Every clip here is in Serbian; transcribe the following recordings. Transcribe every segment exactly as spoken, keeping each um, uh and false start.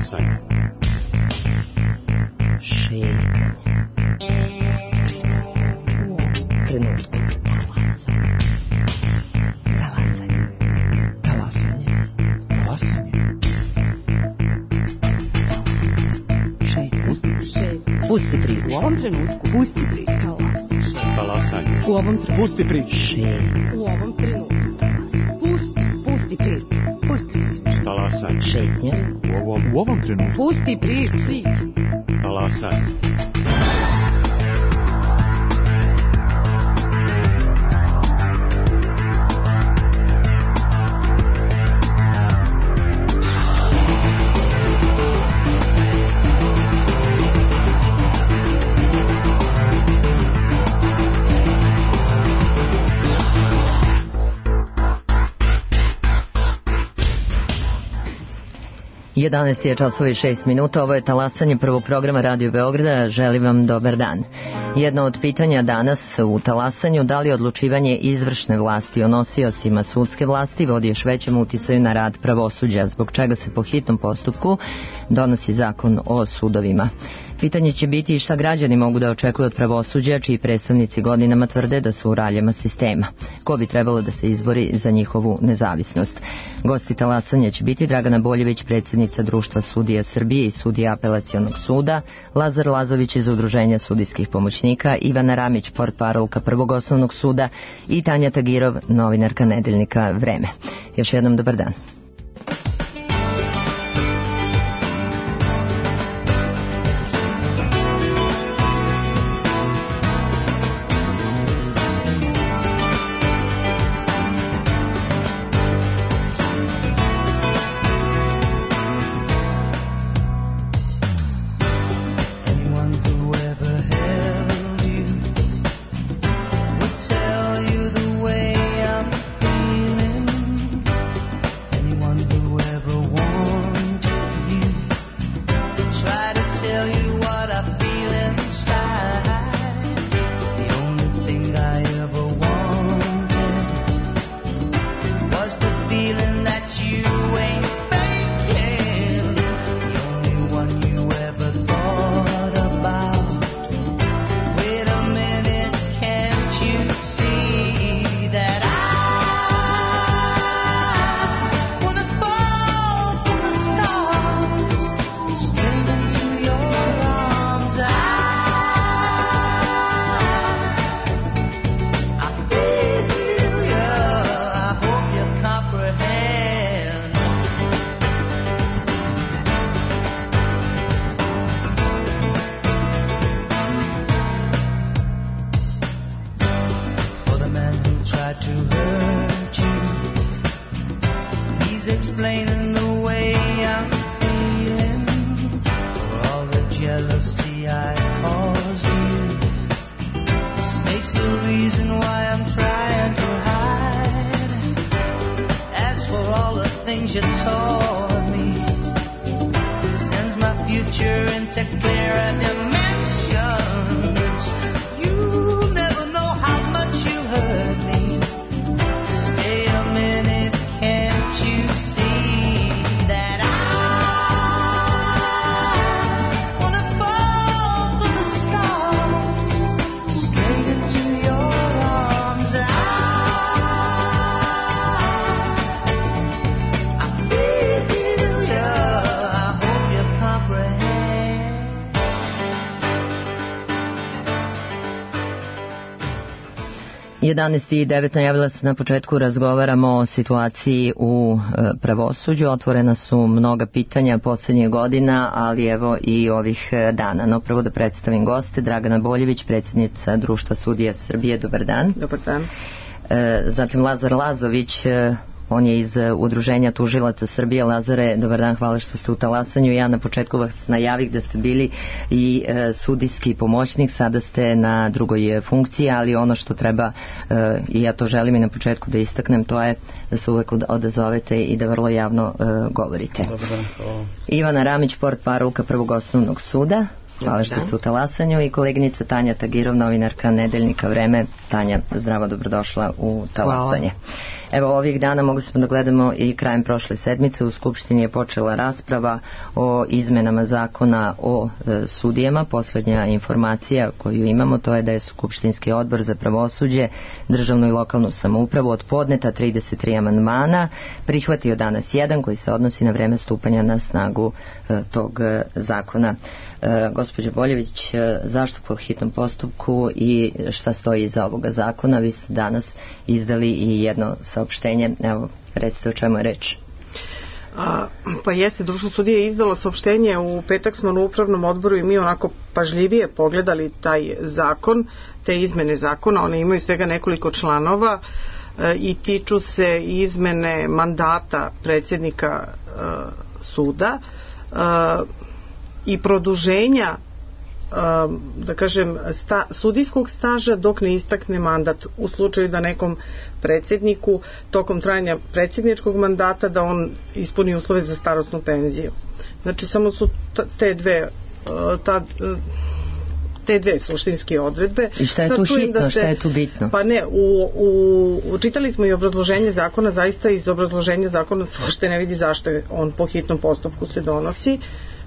Talasanje. Šetnje. Trenutku. Talasanje. Talasanje. Talasanje. Pusti priču. U ovom trenutku. Pusti priču. Talasanje. U ovom trenutku. Pusti priču. U ovom trenutku. Pusti. Pusti priču. Pusti priču. Talasanje. Šetnja. U ovom, U ovom trenutku. Pusti priču. talasanje. jedanaest je časova i šest minuta, ovo je talasanje prvog programa Radio Beograda, želim vam dobar dan. Jedno od pitanja danas u talasanju, da li odlučivanje izvršne vlasti o nosiocima sudske vlasti vodi još većem uticaju na rad pravosuđa, zbog čega se po hitnom postupku donosi zakon o sudovima. Pitanje će biti i šta građani mogu da očekuju od pravosuđa, čiji predstavnici godinama tvrde da su u raljama sistema. Ko bi trebalo da se izbori za njihovu nezavisnost? Gosti talasanja će biti Dragana Boljević, predsjednica Društva sudija Srbije i sudija Apelacionog suda, Lazar Lazović iz Udruženja sudijskih pomoćnika, Ivana Ramić, portparolka Prvog osnovnog suda i Tanja Tagirov, novinarka nedeljnika Vreme. Još jednom dobar dan. jedanaest i devet najavila se na početku, razgovaramo o situaciji u pravosuđu. Otvorena su mnoga pitanja posljednjih godina, ali evo i ovih dana. No prvo da predstavim goste. Dragana Boljević, predsjednica Društva sudija Srbije, dobar dan. Dobar dan. Zatim Lazar Lazović, on je iz Udruženja tužilaca Srbije. Lazare, dobar dan, hvala što ste u talasanju. Ja na početku vas najavih da ste bili i e, sudijski pomoćnik, sada ste na drugoj funkciji, ali ono što treba, e, i ja to želim i na početku da istaknem, to je da se uvek odazovete i da vrlo javno e, govorite. Dobar dan, hvala. Ivana Ramić, portparolka Prvog osnovnog suda. Hvala što ste u talasanju. I koleginica Tanja Tagirov, novinarka nedeljnika Vreme. Tanja, zdravo, dobrodošla u talasanje. Hvala. Evo, ovih dana mogli smo da gledamo i krajem prošle sedmice u Skupštini je počela rasprava o izmenama zakona o e, sudijama. Poslednja informacija koju imamo to je da je Skupštinski odbor za pravosuđe, državnu i lokalnu samoupravu od podneta trideset tri amandmana prihvatio danas jedan koji se odnosi na vreme stupanja na snagu e, tog e, zakona. E, gospođo Boljević, e, zašto po hitnom postupku i šta stoji iza ovoga zakona? Vi ste danas izdali i jedno saopštenje. Evo, recite o čemu je reč. A, pa jeste, Društvo sudija je izdalo saopštenje, u petak smo na upravnom odboru i mi onako pažljivije pogledali taj zakon, te izmene zakona, one imaju svega nekoliko članova e, i tiču se izmene mandata predsjednika e, suda e, i produženja da kažem sta, sudijskog staža dok ne istakne mandat, u slučaju da nekom predsjedniku tokom trajanja predsjedničkog mandata da on ispuni uslove za starosnu penziju. Znači samo su te dve ta, te dve suštinske odredbe. I šta je tu hitno, da ste, šta je tu bitno? Pa ne, u, u, čitali smo i obrazloženje zakona, zaista iz obrazloženja zakona se uopšte ne vidi zašto je on po hitnom postupku se donosi.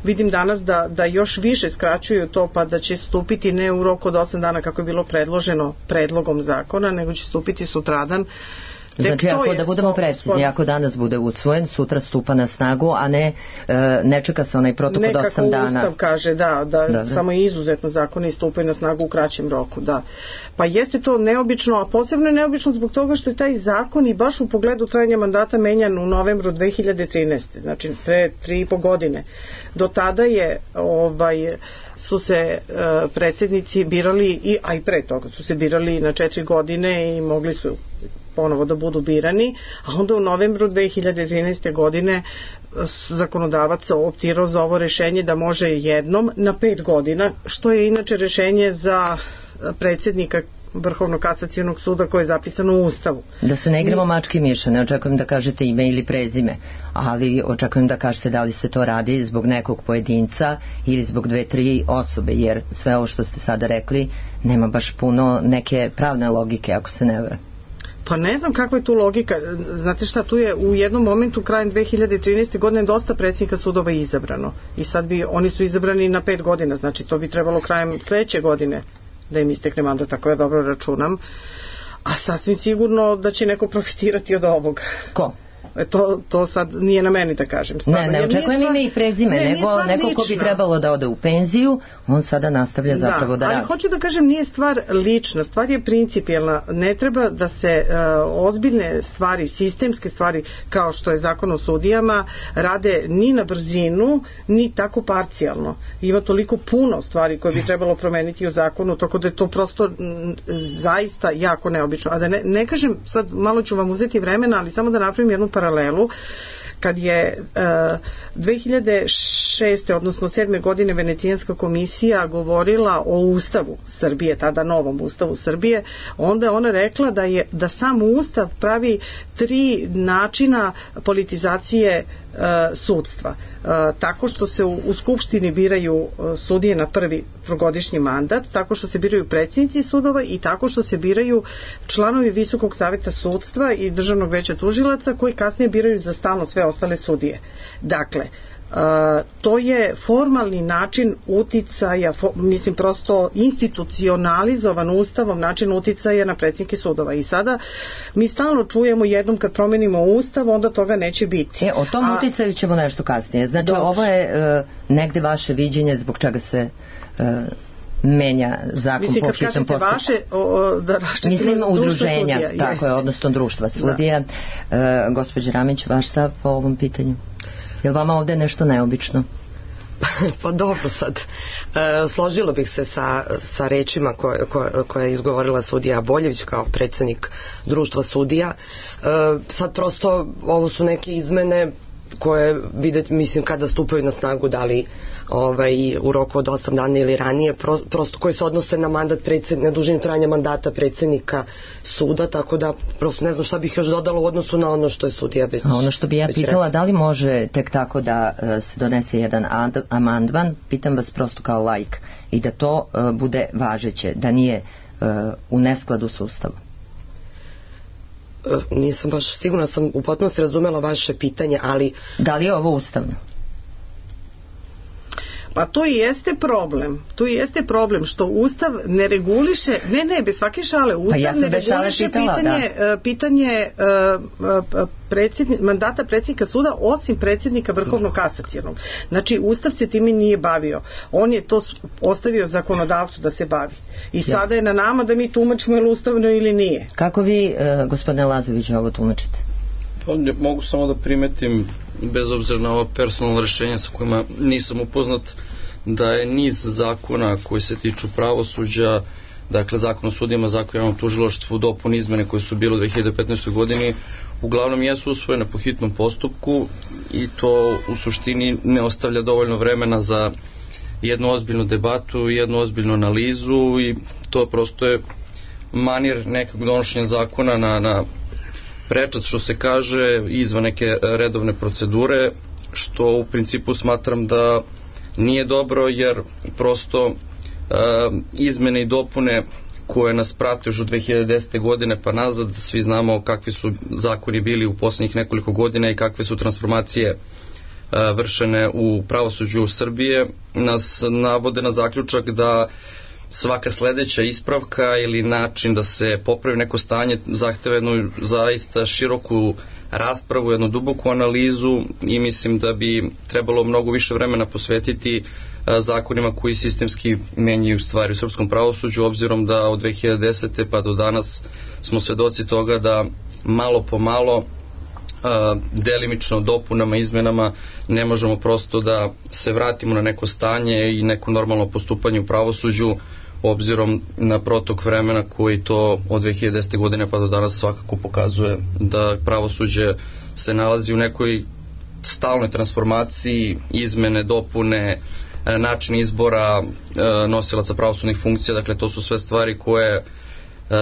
Vidim danas da, da još više skraćuju to, pa da će stupiti ne u roku od osam dana kako je bilo predloženo predlogom zakona, nego će stupiti sutradan. Znači, ako da budemo precizni, ako danas bude usvojen, sutra stupa na snagu, a ne e, ne čeka se onaj protok od osam dana. Nekako Ustav kaže, da, da, da, da. Samo izuzetno zakoni stupaju na snagu u kraćem roku, da. Pa jeste to neobično, a posebno je neobično zbog toga što je taj zakon i baš u pogledu trajanja mandata menjan u novembru dve hiljade trinaeste. Znači, pre tri i po godine. Do tada je, ovaj, su se e, predsjednici birali, i, a i pre toga su se birali na četiri godine i mogli su ponovo da budu birani, a onda u novembru dve hiljade trinaeste godine zakonodavac optirao za ovo rešenje da može jednom na pet godina, što je inače rešenje za predsjednika Vrhovnog kasacionog suda koje je zapisano u Ustavu. Da se ne igramo mačke i miša, ne očekujem da kažete ime ili prezime, ali očekujem da kažete da li se to radi zbog nekog pojedinca ili zbog dve, tri osobe, jer sve ovo što ste sada rekli nema baš puno neke pravne logike, ako se ne vara. Pa ne znam kakva je tu logika. Znate šta, tu je u jednom momentu krajem dve hiljade trinaeste godine dosta predsjednika sudova izabrano. I sad bi, oni su izabrani na pet godina, znači to bi trebalo krajem sledeće godine da im istekne mandat, tako ja dobro računam. A sasvim sigurno da će neko profitirati od ovoga. Ko? To, to sad nije na meni da kažem. Stvarno. Ne, ne očekujem ime i prezime, ne, nego neko ko bi trebalo da ode u penziju, on sada nastavlja zapravo da, da radi. Ali hoću da kažem, nije stvar lična, stvar je principijelna. Ne treba da se uh, ozbiljne stvari, sistemske stvari, kao što je zakon o sudijama, rade ni na brzinu, ni tako parcijalno. Ima toliko puno stvari koje bi trebalo promeniti u zakonu, tako da je to prosto m, zaista jako neobično. A da ne, ne kažem, sad malo ću vam uzeti vremena, ali samo da napravim jednu paralelu. Kad je uh, dve hiljade šeste odnosno sedme godine Venecijanska komisija govorila o Ustavu Srbije, tada novom Ustavu Srbije, onda je ona rekla da je da sam Ustav pravi tri načina politizacije uh, sudstva. Uh, tako što se u, u Skupštini biraju uh, sudije na prvi trogodišnji mandat, tako što se biraju predsjednici sudova i tako što se biraju članovi Visokog saveta sudstva i Državnog veća tužilaca koji kasnije biraju za stalno sve ostale sudije. Dakle, Uh, to je formalni način uticaja, fo, mislim prosto institucionalizovan Ustavom način uticaja na predsjednike sudova. I sada mi stalno čujemo jednom kad promenimo Ustav, onda toga neće biti. E, o tom A, uticaju ćemo nešto kasnije. Znači, dobro. Ovo je uh, negde vaše viđenje zbog čega se uh, menja zakon mislim, po hitnom postupku. Vaše, o, da mislim udruženja, sudija, tako je, odnosno društva sudija. Da. Uh, gospođa Ramić, vaš stav po ovom pitanju? Je li vama ovde nešto neobično? Pa dobro sad. E, složilo bih se sa, sa rečima koje, koje, koje je izgovorila sudija Boljević kao predsjednik društva sudija. E, sad prosto ovo su neke izmene koje videti, mislim, kada stupaju na snagu, da li ovaj, u roku od osam dana ili ranije, pro, prosto koji se odnose na mandat predsjed, na dužinu trajanja mandata predsjednika suda, tako da prosto ne znam šta bih još dodala u odnosu na ono što je sudija već. A ono što bi ja pitala, rekla. Da li može tek tako da uh, se donese jedan ad, amandman, pitam vas prosto kao laik, i da to uh, bude važeće, da nije uh, u neskladu s Ustavom? Nisam baš sigurna, sam u potpunosti razumela vaše pitanje, ali... Da li je ovo ustavno? Pa to i jeste problem. To i jeste problem što Ustav ne reguliše, ne ne, bez svake šale, Ustav ja ne reguliše pitala, pitanje, da. pitanje uh, predsjedni, mandata predsjednika suda osim predsjednika Vrhovnog kasacionog. Znači Ustav se time nije bavio. On je to ostavio zakonodavcu da se bavi. I sada yes. je na nama da mi tumačimo je li ustavno ili nije. Kako vi, uh, gospodine Lazović, ovo tumačite? Pa, mogu samo da primetim, bez obzira na ova personalna rešenja sa kojima nisam upoznat, da je niz zakona koji se tiču pravosuđa, dakle zakon o sudijama, zakon o javnom tužilaštvu, dopune izmene koje su bile u dve hiljade petnaestoj godini, uglavnom jesu usvojene po hitnom postupku i to u suštini ne ostavlja dovoljno vremena za jednu ozbiljnu debatu, jednu ozbiljnu analizu i to prosto je manir nekog donošenja zakona na, na prečac, što se kaže, izvan neke redovne procedure, što u principu smatram da nije dobro, jer prosto e, izmene i dopune koje nas prate još od dve hiljade desete godine pa nazad, svi znamo kakvi su zakoni bili u posljednjih nekoliko godina i kakve su transformacije e, vršene u pravosuđu Srbije, nas navode na zaključak da svaka sledeća ispravka ili način da se popravi neko stanje zahteva jednu zaista široku raspravu, jednu duboku analizu i mislim da bi trebalo mnogo više vremena posvetiti zakonima koji sistemski menjaju stvari u srpskom pravosuđu, obzirom da od dve hiljade desete pa do danas smo svedoci toga da malo po malo delimično dopunama, izmenama ne možemo prosto da se vratimo na neko stanje i neko normalno postupanje u pravosuđu, obzirom na protok vremena koji to od dve hiljade desete godine pa do danas svakako pokazuje da pravosuđe se nalazi u nekoj stalnoj transformaciji, izmene, dopune, način izbora nosilaca pravosudnih funkcija, dakle to su sve stvari koje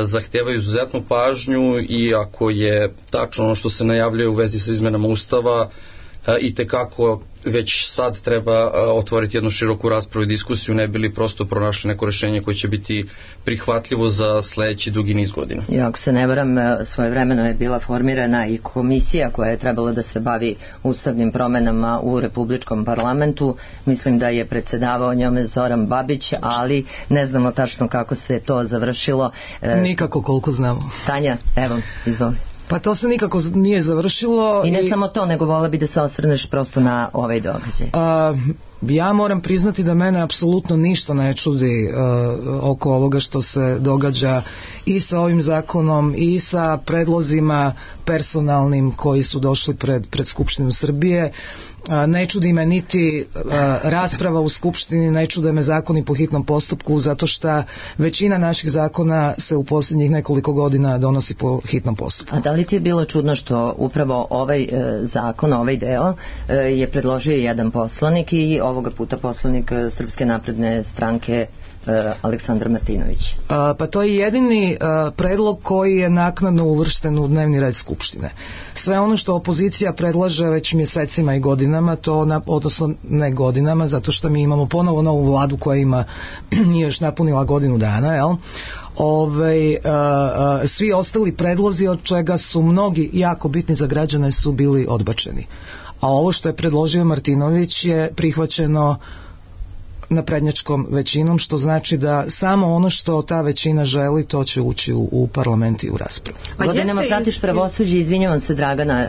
zahtevaju izuzetnu pažnju i ako je tačno ono što se najavljuje u vezi sa izmenama Ustava, i tekako već sad treba otvoriti jednu široku raspravu i diskusiju, ne bili prosto pronašli neko rešenje koje će biti prihvatljivo za sledeći dugi niz godina. I ako se ne varam, svojevremeno je bila formirana i komisija koja je trebala da se bavi ustavnim promenama u Republičkom parlamentu. Mislim da je predsedavao njome Zoran Babić, ali ne znamo tačno kako se to završilo. Nikako, koliko znamo. Tanja, evo, izvoli. Pa to se nikako nije završilo. I ne i... samo to, nego vola bi da se osvrneš prosto na ovaj događaj. A, ja moram priznati da mene apsolutno ništa ne čudi a, oko ovoga što se događa i sa ovim zakonom i sa predlozima personalnim koji su došli pred, pred Skupštinu Srbije. A, ne čudi me niti a, rasprava u Skupštini, ne čude me zakoni po hitnom postupku, zato što većina naših zakona se u posljednjih nekoliko godina donosi po hitnom postupku. A da li ti je bilo čudno što upravo ovaj e, zakon, ovaj deo e, je predložio jedan poslanik i ovoga puta poslanik Srpske napredne stranke Aleksandar Martinović? A, pa to je jedini a, predlog koji je naknadno uvršten u dnevni red Skupštine. Sve ono što opozicija predlaže već mjesecima i godinama, to na, odnosno ne godinama, zato što mi imamo ponovo novu vladu koja ima nije još napunila godinu dana, jel? Ove, a, a, svi ostali predlozi, od čega su mnogi jako bitni za građane, su bili odbačeni. A ovo što je predložio Martinović je prihvaćeno naprednjačkom većinom, što znači da samo ono što ta većina želi, to će ući u, u parlament i u raspravu. Godinama pratiš pravosuđe, izvinjavam se Dragana,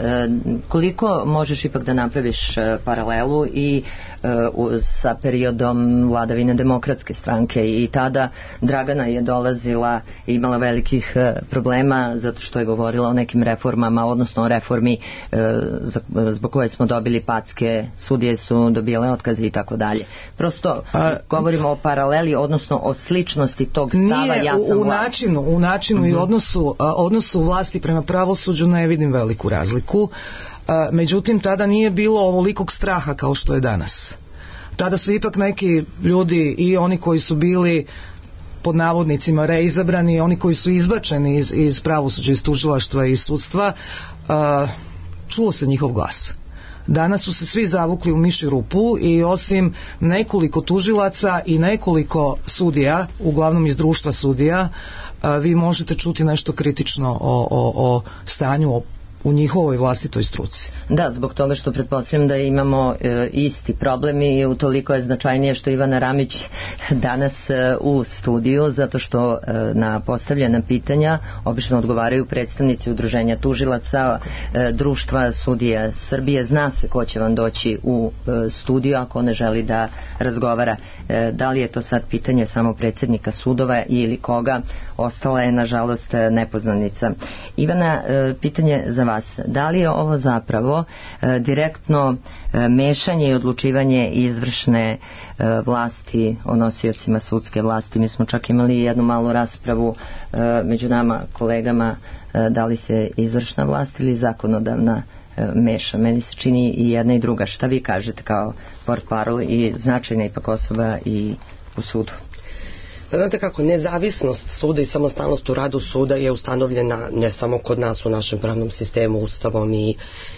koliko možeš ipak da napraviš paralelu i uh, sa periodom vladavine Demokratske stranke, i tada Dragana je dolazila i imala velikih uh, problema zato što je govorila o nekim reformama, odnosno o reformi uh, zbog koje smo dobili packe, sudije su dobile otkaze i tako dalje. Prosto A, govorimo o paraleli, odnosno o sličnosti tog stava nije, ja sam u, u vlast. načinu, u načinu uh-huh. i odnosu, a, odnosu vlasti prema pravosuđu ne vidim veliku razliku. A, međutim, tada nije bilo ovolikog straha kao što je danas. Tada su ipak neki ljudi, i oni koji su bili pod navodnicima reizabrani, i oni koji su izbačeni iz, iz pravosuđa, iz tužilaštva i iz sudstva, a, čuo se njihov glas. Danas su se svi zavukli u mišju rupu i osim nekoliko tužilaca i nekoliko sudija, uglavnom iz društva sudija, vi možete čuti nešto kritično o, o, o stanju, o u njihovoj vlastitoj struci. Da, zbog toga što pretpostavljam da imamo e, isti problem i utoliko je značajnije što Ivana Ramić danas e, u studiju, zato što e, na postavljena pitanja obično odgovaraju predstavnici udruženja tužilaca, e, društva sudija Srbije. Zna se ko će vam doći u e, studiju ako ne želi da razgovara. E, da li je to sad pitanje samo predsjednika sudova ili koga, ostala je nažalost nepoznanica. Ivana, e, pitanje za vas. Da li je ovo zapravo e, direktno e, mešanje i odlučivanje izvršne e, vlasti o nosiocima sudske vlasti? Mi smo čak imali jednu malu raspravu e, među nama kolegama e, da li se izvršna vlast ili zakonodavna e, meša. Meni se čini i jedna i druga. Šta vi kažete kao portparol i značajna ipak osoba i u sudu? Znate kako, nezavisnost suda i samostalnost u radu suda je ustanovljena ne samo kod nas u našem pravnom sistemu, ustavom i,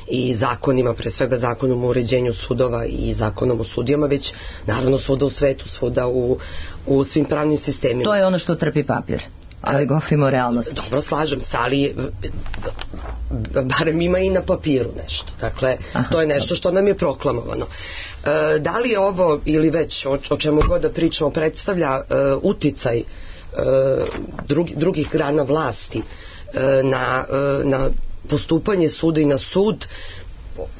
i zakonima, pre svega zakonom o uređenju sudova i zakonom o sudijama, već naravno svuda u svetu, svuda u, u svim pravnim sistemima. To je ono što trpi papir, ali govorimo o realnosti. Dobro, slažem se, ali barem ima i na papiru nešto. Dakle, Aha, to je nešto što nam je proklamovano. E, da li je ovo ili već o, o čemu god da pričamo predstavlja e, uticaj e, drugi, drugih grana vlasti e, na, e, na postupanje suda i na sud,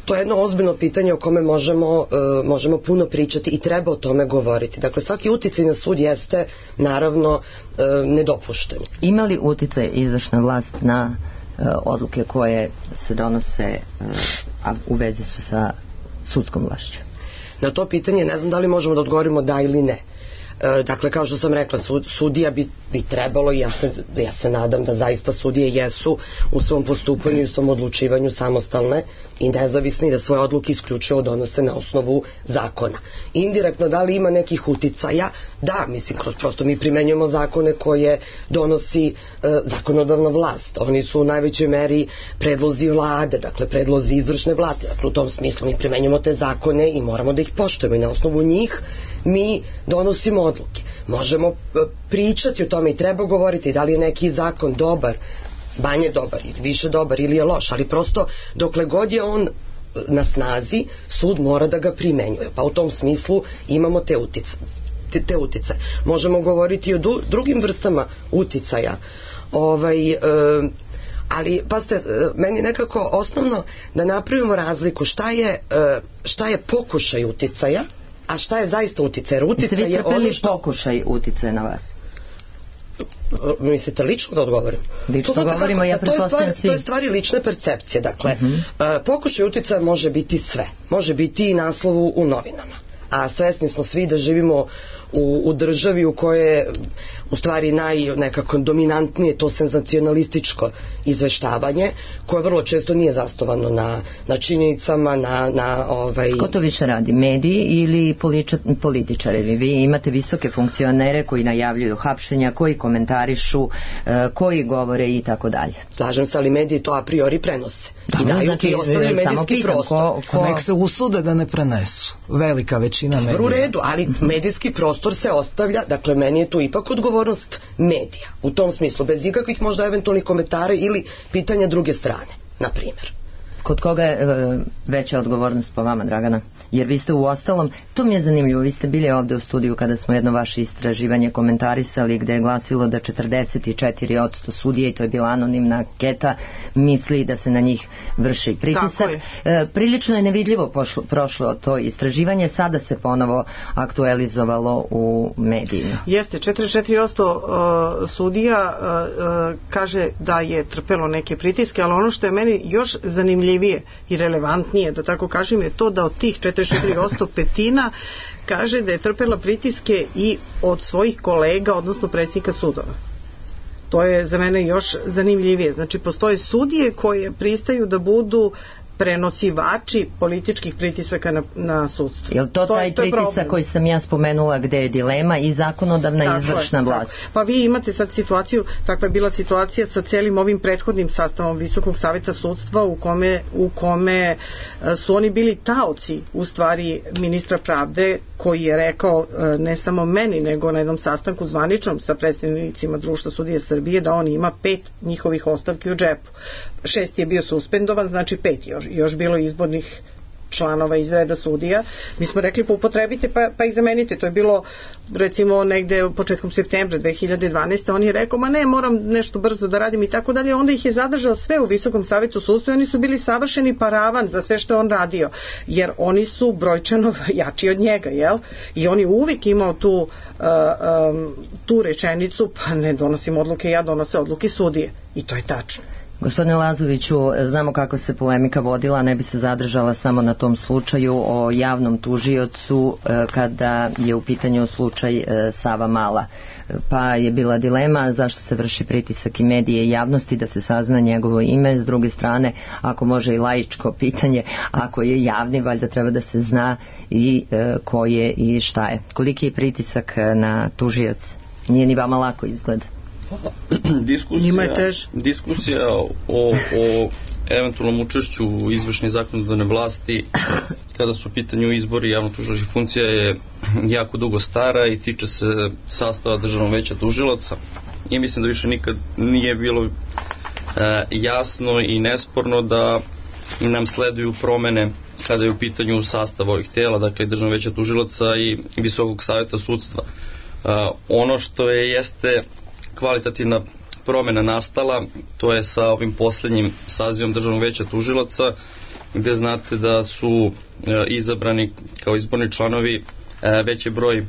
to je jedno ozbiljno pitanje o kome možemo, e, možemo puno pričati i treba o tome govoriti. Dakle, svaki uticaj na sud jeste naravno e, nedopušten. Ima li uticaj izvršna vlast na e, odluke koje se donose, e, a u vezi su sa sudskom vlašću? Na to pitanje ne znam da li možemo da odgovorimo da ili ne. E, dakle, kao što sam rekla, sud, sudija bi, bi trebalo i ja se, ja se nadam da zaista sudije jesu u svom postupanju i u svom odlučivanju samostalne i nezavisni i da svoje odluke isključivo donose na osnovu zakona. Indirektno, da li ima nekih uticaja? Da, mislim, kroz prosto mi primenjujemo zakone koje donosi e, zakonodavna vlast. Oni su u najvećoj meri predlozi vlade, dakle predlozi izvršne vlasti. Dakle, u tom smislu mi primenjujemo te zakone i moramo da ih poštujemo i na osnovu njih mi donosimo odluke. Možemo pričati o tome i treba govoriti da li je neki zakon dobar, manje dobar ili više dobar ili je loš, ali prosto dokle god je on na snazi, sud mora da ga primenjuje. Pa u tom smislu imamo te utice. Te, te utice. Možemo govoriti o du, drugim vrstama uticaja. Ovaj, e, ali, pazite, meni nekako osnovno da napravimo razliku šta je, e, šta je pokušaj uticaja, a šta je zaista uticaj? Uticaj je ono što... pokušaj uticaja na vas? Mislite lično da odgovorim? Lično to, govorimo, ja pretpostavljam svi. To je stvari lične percepcije. Dakle, uh-huh. pokušaj uticaja može biti sve. Može biti i naslovu u novinama. A svesni smo svi da živimo u, u državi u kojoj je u stvari naj nekako dominantnije to senzacionalističko izveštavanje, koje vrlo često nije zasnovano na, na činjenicama, na, na ovaj... Ko to više radi? Mediji ili političari? Vi imate visoke funkcionere koji najavljuju hapšenja, koji komentarišu, koji govore i tako dalje. Slažem se, ali mediji to a priori prenose. Da, i daju znači, ti ostavljaju medijski pitam, prostor. Ko, ko... Nek se usude da ne prenesu. Velika većina medija. U redu, ali medijski prostor se ostavlja, dakle meni je tu ipak odgovornost medija. U tom smislu, bez ikakvih možda eventualnih komentara ili pitanja druge strane, na primjer. Kod koga je e, veća odgovornost po vama, Dragana? Jer vi ste u ostalom, to mi je zanimljivo, vi ste bili ovde u studiju kada smo jedno vaše istraživanje komentarisali gde je glasilo da četrdeset četiri posto sudija, i to je bila anonimna anketa, misli da se na njih vrši pritisak. E, prilično je nevidljivo pošlo, prošlo to istraživanje, sada se ponovo aktualizovalo u medijima. Jeste, četrdeset četiri posto uh, sudija uh, uh, kaže da je trpelo neke pritiske, ali ono što je meni još zanimljivije i relevantnije, da tako kažem, je to da od tih četrdeset četiri posto petina kaže da je trpela pritiske i od svojih kolega, odnosno predsjednika sudova. To je za mene još zanimljivije. Znači, postoje sudije koje pristaju da budu prenosivači političkih pritisaka na, na sudstvo. Je li to, to taj to pritisak problem. Koji sam ja spomenula gde je dilema i zakonodavna i izvršna vlast? Pa vi imate sad situaciju, takva je bila situacija sa celim ovim prethodnim sastavom Visokog saveta sudstva u kome, u kome su oni bili taoci u stvari ministra pravde koji je rekao ne samo meni, nego na jednom sastanku zvaničnom sa predstavnicima Društva sudija Srbije da on ima pet njihovih ostavki u džepu. Šest je bio suspendovan, znači pet još, još bilo izbornih članova iz reda sudija. Mi smo rekli pa upotrebite pa, pa ih zamenite. To je bilo recimo negde početkom septembra dve hiljade dvanaeste. On je rekao ma ne, moram nešto brzo da radim i tako dalje. Onda ih je zadržao sve u Visokom savetu sudstva i oni su bili savršeni paravan za sve što je on radio. Jer oni su brojčano jači od njega, jel? I on je uvijek imao tu, uh, um, tu rečenicu pa ne donosim odluke, ja donose odluke sudije. I to je tačno. Gospodine Lazoviću, znamo kako se polemika vodila, ne bi se zadržala samo na tom slučaju o javnom tužiocu kada je u pitanju slučaj Sava Mala. Pa je bila dilema zašto se vrši pritisak i medije i javnosti da se sazna njegovo ime. S druge strane, ako može i laičko pitanje, ako je javni, valjda treba da se zna i ko je i šta je. Koliki je pritisak na tužioc? Nije ni vama lako izgleda. Diskusija, diskusija o, o eventualnom učešću u izvršnoj zakonodavne vlasti kada su u pitanju izbori javno-tužilačkih funkcija je jako dugo stara i tiče se sastava Državnog veća tužilaca i mislim da više nikad nije bilo e, jasno i nesporno da nam sleduju promene kada je u pitanju sastav ovih tela, dakle Državnog veća tužilaca i Visokog saveta sudstva. E, ono što je jeste kvalitativna promjena nastala, to je sa ovim posljednjim sazivom Državnog veća tužilaca, gde znate da su e, izabrani kao izborni članovi e, veći broj e,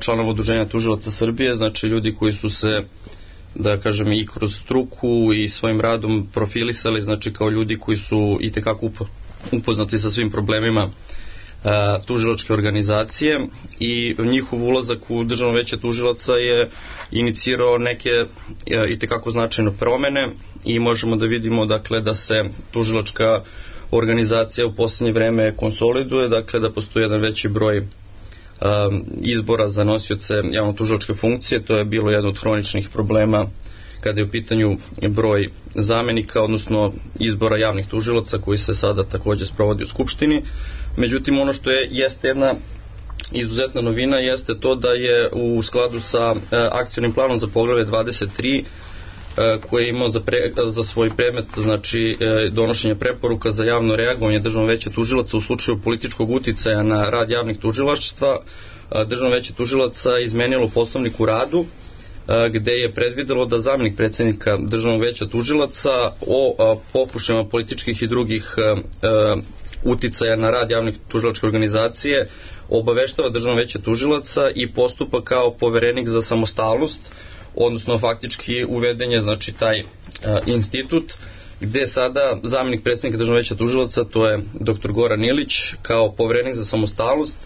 članova Udruženja tužilaca Srbije, znači ljudi koji su se, da kažem, i kroz struku i svojim radom profilisali, znači kao ljudi koji su itekako upoznati sa svim problemima tužilačke organizacije i njihov ulazak u Državno veće tužilaca je inicirao neke itekako značajne promene i možemo da vidimo dakle da se tužilačka organizacija u posljednje vreme konsoliduje, dakle da postoji jedan veći broj um, izbora za nosioce javno-tužilačke funkcije. To je bilo jedno od hroničnih problema kada je u pitanju broj zamenika, odnosno izbora javnih tužilaca koji se sada također sprovodi u Skupštini. Međutim, ono što je jeste jedna izuzetna novina jeste to da je u skladu sa e, akcionim planom za poglavlje dvadeset tri e, koje je imao za, pre, za svoj predmet, znači e, donošenje preporuka za javno reagovanje Državnog veća tužilaca u slučaju političkog uticaja na rad javnih tužilaštva, e, Državno veće tužilaca izmenilo Poslovnik u radu gde je predvidelo da zamenik predsjednika Državnog veća tužilaca o pokušajima političkih i drugih uticaja na rad javnih tužilačke organizacije obaveštava Državno veće tužilaca i postupa kao poverenik za samostalnost, odnosno faktički uveden je znači taj institut gde sada zamenik predsjednika Državnog veća tužilaca, to je doktor Goran Ilić, kao poverenik za samostalnost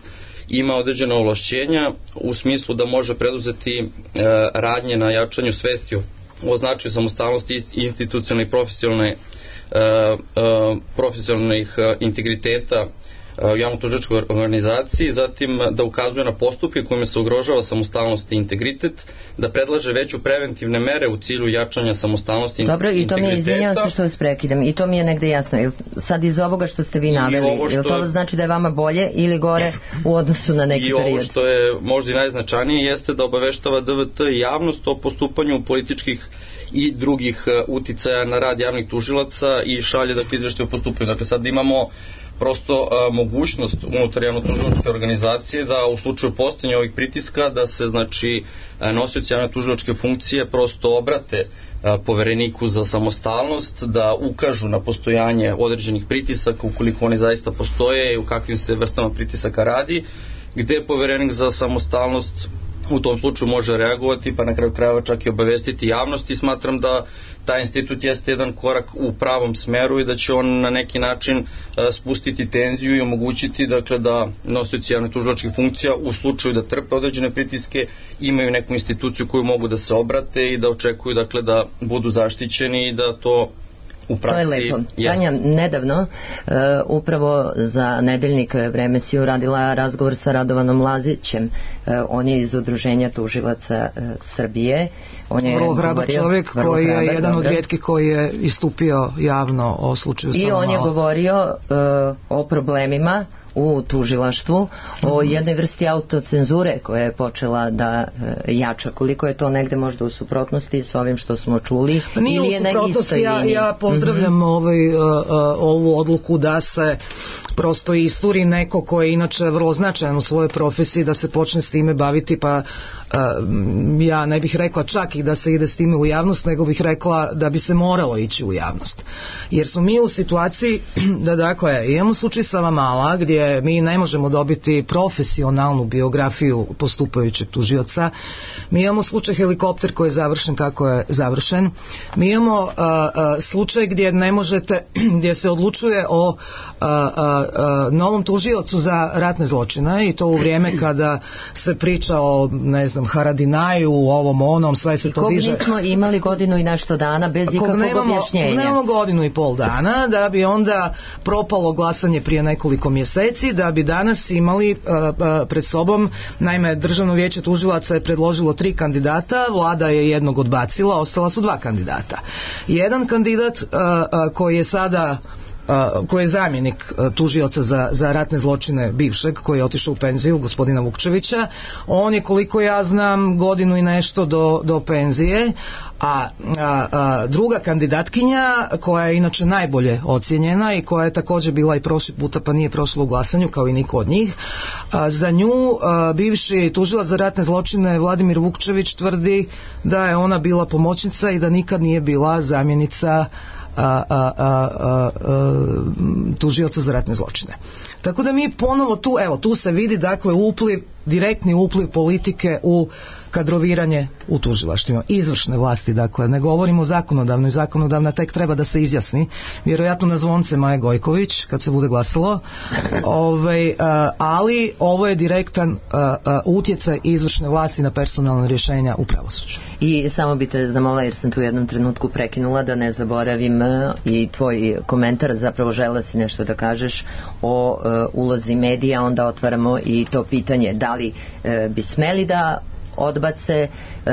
ima određena ovlašćenja u smislu da može preduzeti e, radnje na jačanju svesti o značaju samostalnosti institucionalne i profesionalne e, e, profesionalnih integriteta javno-tužilačkoj organizaciji, zatim da ukazuje na postupke kojima se ugrožava samostalnost i integritet, da predlaže veću preventivne mere u cilju jačanja samostalnosti i integriteta. Dobro, i to mi je, izvinjavam se što vas prekidam, i to mi je negde jasno. Jel, sad iz ovoga što ste vi naveli, što, jel to znači da je vama bolje ili gore u odnosu na neki period? I ovo što je možda i najznačajnije jeste da obaveštava D V T javnost o postupanju političkih i drugih uticaja na rad javnih tužilaca i šalje dakle izveštaje o postupanju. Dakle sad imamo prosto a, mogućnost unutar javno-tužilačke organizacije da u slučaju postojanja ovih pritiska da se znači nosioci javno-tužilačke funkcije prosto obrate a, povereniku za samostalnost, da ukažu na postojanje određenih pritisaka ukoliko oni zaista postoje i u kakvim se vrstama pritisaka radi, gde poverenik za samostalnost u tom slučaju može reagovati pa na kraju krajeva čak i obavestiti javnost i smatram da taj institut jeste jedan korak u pravom smeru i da će on na neki način spustiti tenziju i omogućiti dakle da nosioci javnih tužilačkih funkcija u slučaju da trpe određene pritiske imaju neku instituciju koju mogu da se obrate i da očekuju dakle da budu zaštićeni i da to u praksi. To je lepo. Tanja, nedavno uh, upravo za Nedeljnik Vreme si uradila razgovor sa Radovanom Lazićem. Uh, on je iz Udruženja tužilaca uh, Srbije. On je vrlo hrabar čovjek koji je hrabar, jedan dobro. od rijetkih koji je istupio javno o slučaju Sava Mala. I on je govorio uh, o problemima u tužilaštvu o jednoj vrsti autocenzure koja je počela da e, jača. Koliko je to negde možda u suprotnosti s ovim što smo čuli? Pa nije ili u je na suprotnosti, ja, ja pozdravljam mm-hmm. ovaj, uh, uh, ovu odluku da se prosto isturi neko ko je inače vrlo značajan u svojoj profesiji, da se počne s time baviti, pa uh, ja ne bih rekla čak i da se ide s time u javnost, nego bih rekla da bi se moralo ići u javnost. Jer smo mi u situaciji da, dakle, imamo slučaj Savamala gdje mi ne možemo dobiti profesionalnu biografiju postupajućeg tužioca. Mi imamo slučaj Helikopter koji je završen kako je završen. Mi imamo uh, uh, slučaj gdje ne možete, gdje se odlučuje o uh, uh, Uh, novom tužiocu za ratne zločine, i to u vrijeme kada se priča o, ne znam, Haradinaju, ovom onom, sve se I to diže. Kog nismo imali godinu i nešto dana bez ikakvog nemamo, objašnjenja. Nemamo godinu i pol dana, da bi onda propalo glasanje prije nekoliko mjeseci, da bi danas imali uh, uh, pred sobom, naime, Državno vijeće tužilaca je predložilo tri kandidata, vlada je jednog odbacila, ostala su dva kandidata. Jedan kandidat uh, uh, koji je sada Uh, koji je zamjenik uh, tužioca za, za ratne zločine bivšeg, koji je otišao u penziju, gospodina Vukčevića, on je, koliko ja znam, godinu i nešto do, do penzije, a, a, a druga kandidatkinja, koja je inače najbolje ocijenjena i koja je također bila i prošli puta pa nije prošla u glasanju kao i niko od njih, a, za nju a, bivši tužilac za ratne zločine Vladimir Vukčević tvrdi da je ona bila pomoćnica i da nikad nije bila zamjenica A, a, a, a, a, tužioca za ratne zločine. Tako da mi ponovo tu, evo, tu se vidi, dakle, upliv, direktni upliv politike u kadroviranje u tužilaštvima, izvršne vlasti, dakle, ne govorimo o zakonodavnoj, zakonodavna tek treba da se izjasni, vjerojatno na zvonce Maje Gojković kad se bude glasalo, Ove, ali ovo je direktan utjecaj izvršne vlasti na personalna rješenja u pravosuđu. I samo bi te zamolila, jer sam tu u jednom trenutku prekinula, da ne zaboravim i tvoj komentar, zapravo žela si nešto da kažeš o uh, ulozi medija, onda otvaramo i to pitanje da li uh, bi smeli da odbace uh,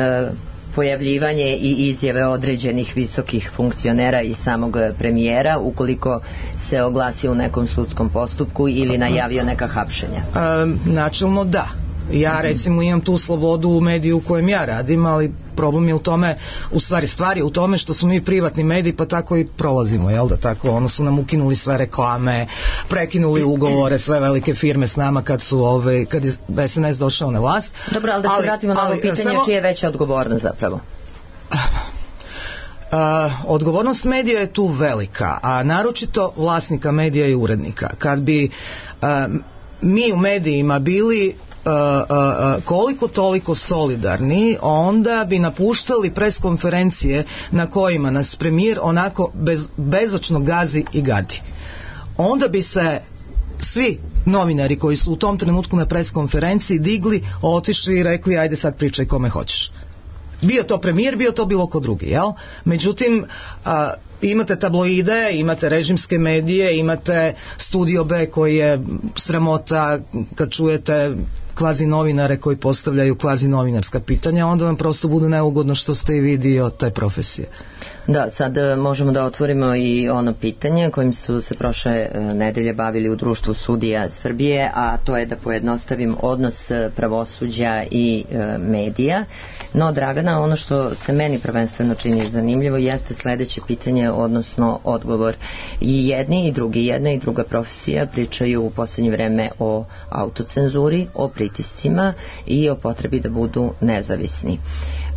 pojavljivanje i izjave određenih visokih funkcionera i samog premijera ukoliko se oglasi u nekom sudskom postupku ili najavio neka hapšenja. Um, načelno da. Ja recimo imam tu slobodu u mediju u kojem ja radim, ali problem je u tome, u stvari stvari u tome što smo mi privatni mediji, pa tako i prolazimo, jel da tako, ono su nam ukinuli sve reklame, prekinuli ugovore, sve velike firme s nama kad su ove, kad je S N S došao na vlast. Dobro, ali da se ali, vratimo na ovo pitanje, samo... čija je veća odgovornost zapravo? Uh, odgovornost medija je tu velika, a naročito vlasnika medija i urednika. Kad bi uh, mi u medijima bili Uh, uh, koliko toliko solidarni, onda bi napuštali pres konferencije na kojima nas premijer onako bez, bezočno gazi i gadi. Onda bi se svi novinari koji su u tom trenutku na pres konferenciji digli, otišli i rekli ajde sad pričaj kome hoćeš. Bio to premijer, bio to bilo ko drugi, jel? Međutim, a, imate tabloide, imate režimske medije, imate Studio B koji je sramota kad čujete kvazi novinare koji postavljaju kvazi novinarska pitanja, onda vam prosto bude neugodno što ste i vi dio te profesije. Da, sad možemo da otvorimo i ono pitanje kojim su se prošle nedelje bavili u Društvu sudija Srbije, a to je da pojednostavim odnos pravosuđa i e, medija. No, Dragana, ono što se meni prvenstveno čini zanimljivo jeste sledeće pitanje, odnosno odgovor. I jedni i drugi, jedna i druga profesija pričaju u posljednje vreme o autocenzuri, o pritiscima i o potrebi da budu nezavisni.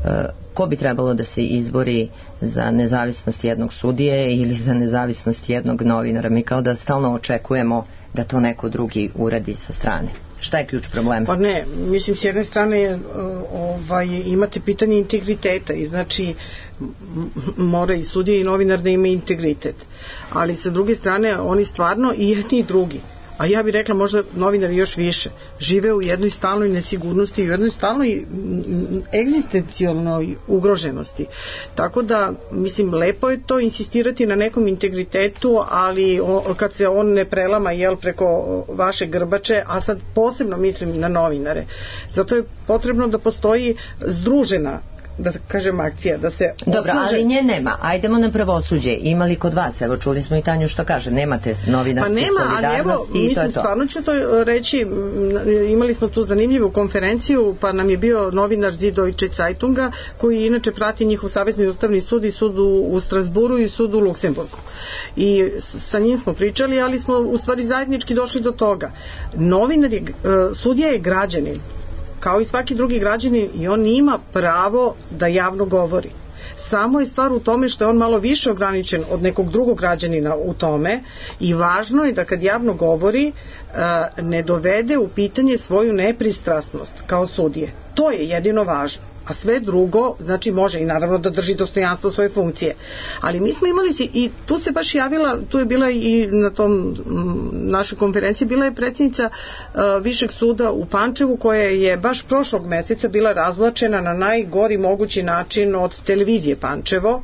E, ko bi trebalo da se izbori za nezavisnost jednog sudije ili za nezavisnost jednog novinara? Mi kao da stalno očekujemo da to neko drugi uradi sa strane. Šta je ključ problema? Pa ne, mislim, s jedne strane ovaj, imate pitanje integriteta i znači mora i sudija i novinar da ima integritet, ali sa druge strane oni stvarno i jedni i drugi, a ja bih rekla možda novinari još više, žive u jednoj stalnoj nesigurnosti i u jednoj stalnoj egzistencijalnoj ugroženosti. Tako da, mislim, lepo je to insistirati na nekom integritetu, ali o, kad se on ne prelama jel, preko vaše grbače, a sad posebno mislim na novinare. Zato je potrebno da postoji združena da kažem akcija, da se Dobro, osnaže... ali nje nema. Ajdemo na pravosuđe. Ima li kod vas? Evo, čuli smo i Tanju što kaže. Nemate novinarske pa nema, solidarnosti ali evo, i to je mislim, to. stvarno ću to reći, imali smo tu zanimljivu konferenciju, pa nam je bio novinar Süddeutsche Zeitunga, koji inače prati njihov savezni ustavni sud i sud u, u Strasburu i sud u Luksemburgu. I sa njim smo pričali, ali smo u stvari zajednički došli do toga. Novinar je, sudija je građanin, kao i svaki drugi građanin, i on ima pravo da javno govori. Samo je stvar u tome što je on malo više ograničen od nekog drugog građanina u tome, i važno je da kad javno govori ne dovede u pitanje svoju nepristrasnost kao sudije. To je jedino važno. A sve drugo, znači može i naravno da drži dostojanstvo svoje funkcije. Ali mi smo imali si, i tu se baš javila, tu je bila i na tom m, našoj konferenciji, bila je predsjednica uh, Višeg suda u Pančevu, koja je baš prošlog meseca bila razvlačena na najgori mogući način od televizije Pančevo.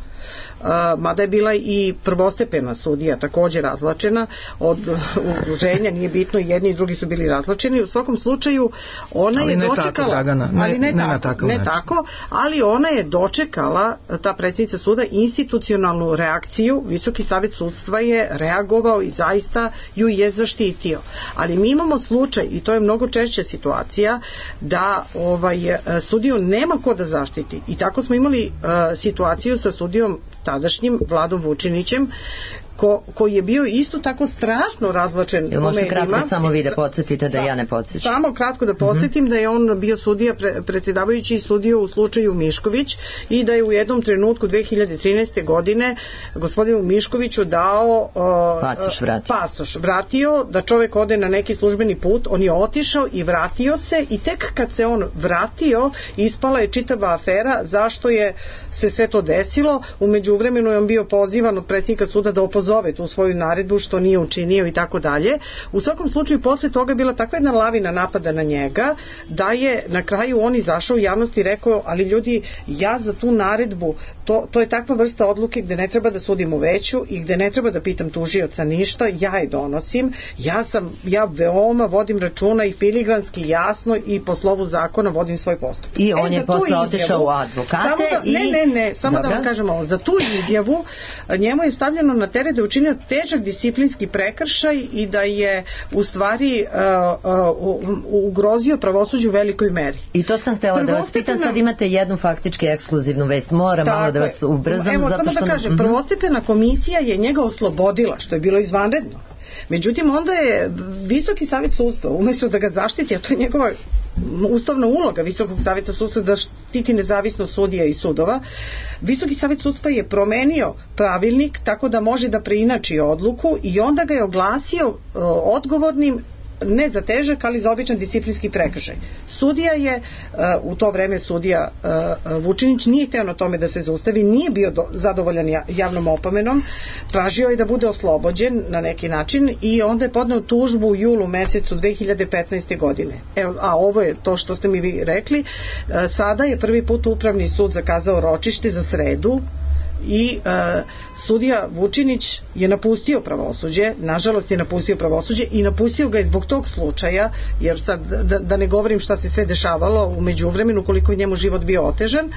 Uh, mada je bila i prvostepena sudija također razvlačena od udruženja, nije bitno, jedni i drugi su bili razvlačeni. U svakom slučaju ona ali je ne dočekala, tako, Dragana, ne, ali ne, ne, tako, tako, ne tako, ali ona je dočekala, ta predsjednica suda, institucionalnu reakciju. Visoki savet sudstva je reagovao i zaista ju je zaštitio. Ali mi imamo slučaj, i to je mnogo češća situacija, da ovaj, sudiju nema ko da zaštiti. I tako smo imali uh, situaciju sa sudijom tadašnjim Vladom Vučinićem, ko, koji je bio isto tako strašno razvlačen po medijima. Kratko samo vi da podsjetite da ja ne podsjećam. Samo kratko da podsjetim, mm-hmm. da je on bio sudija, pre, predsjedavajući sudio u slučaju Mišković, i da je u jednom trenutku dve hiljade trinaeste. godine gospodinu Miškoviću dao uh, pasoš, vratio. pasoš vratio, da čovjek ode na neki službeni put. On je otišao i vratio se, i tek kad se on vratio ispala je čitava afera zašto je se sve to desilo. U međuvremenu je on bio pozivan od predsjednika suda da opozove tu svoju naredbu, što nije učinio i tako dalje. U svakom slučaju posle toga je bila takva jedna lavina napada na njega, da je na kraju on izašao u javnosti i rekao, ali ljudi, ja za tu naredbu, to, to je takva vrsta odluke gde ne treba da sudim u veću i gde ne treba da pitam tužioca ništa, ja je donosim, ja sam, ja veoma vodim računa i filigranski jasno i po slovu zakona vodim svoj postupak. I on e, je posle otišao u advokate da, i... Ne, ne, ne, samo Dobra. Da vam kažem ovo, za tu izjavu njemu je stavljeno na teret da je učinio težak disciplinski prekršaj i da je u stvari uh, uh, ugrozio pravosuđe u velikoj meri. I to sam htjela da vas pitam, sad imate jednu faktički ekskluzivnu vest, moram malo da vas ubrzam. Evo, zato samo što... da kažem, mm-hmm. prvostepena komisija je njega oslobodila, što je bilo izvanredno. Međutim, onda je Visoki savet sudstva, umjesto da ga zaštiti, a to je njegova ustavna uloga Visokog saveta sudstva da štiti nezavisnost sudija i sudova, Visoki savet sudstva je promenio pravilnik tako da može da preinači odluku, i onda ga je oglasio uh, odgovornim ne za težak, ali za običan disciplinski prekršaj. Sudija je, uh, u to vreme sudija uh, Vučinić nije hteo na tome da se zaustavi, nije bio do, zadovoljan javnom opomenom, tražio je da bude oslobođen na neki način, i onda je podneo tužbu u julu mesecu dve hiljade petnaeste. godine. Evo, a ovo je to što ste mi vi rekli. Uh, sada je prvi put Upravni sud zakazao ročište za sredu, i e, sudija Vučinić je napustio pravosuđe, nažalost je napustio pravosuđe, i napustio ga je zbog tog slučaja, jer sad da, da ne govorim šta se sve dešavalo u međuvremenu, koliko je njemu život bio otežan,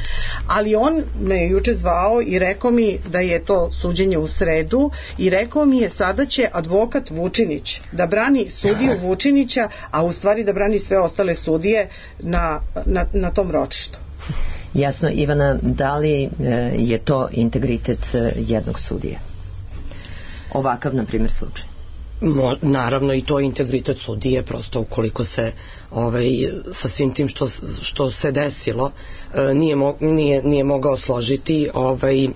ali on me je juče zvao i rekao mi da je to suđenje u sredu, i rekao mi je sada će advokat Vučinić da brani sudiju Vučinića, a u stvari da brani sve ostale sudije na, na, na tom ročištu. Jasno, Ivana, da li e, je to integritet e, jednog sudije? Ovakav, na primjer, slučaj. Mo, naravno, i to je integritet sudije, prosto ukoliko se ovaj, sa svim tim što, što se desilo e, nije, mo, nije, nije mogao složiti. Ovaj,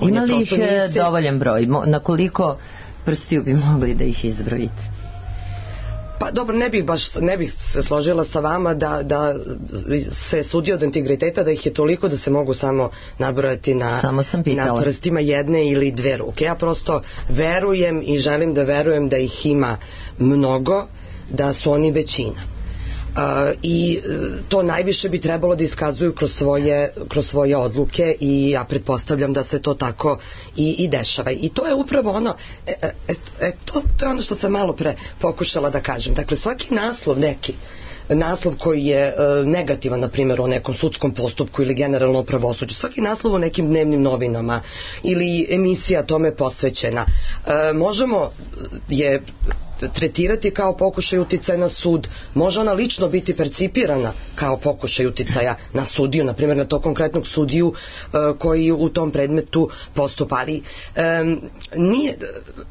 ima li ih nije se... dovoljan broj? Na koliko prstiju bi mogli da ih izbrojite? Pa dobro, ne bih baš ne bih se složila sa vama da, da se sudi od integriteta, da ih je toliko da se mogu samo nabrojati na, na prstima jedne ili dve ruke. Ja prosto verujem i želim da verujem da ih ima mnogo, da su oni većina. Uh, i to najviše bi trebalo da iskazuju kroz svoje, kroz svoje odluke, i ja pretpostavljam da se to tako i, i dešava. I to je upravo ono, e, e, e, to, to je ono što sam malo pre pokušala da kažem. Dakle, svaki naslov neki naslov koji je negativan, na primjer o nekom sudskom postupku ili generalno o pravosuđu, svaki naslov o nekim dnevnim novinama ili emisija tome posvećena, možemo je tretirati kao pokušaj uticaja na sud, može ona lično biti percipirana kao pokušaj uticaja na sudiju, na primjer na to konkretnog sudiju koji u tom predmetu postupa, ali um, nije,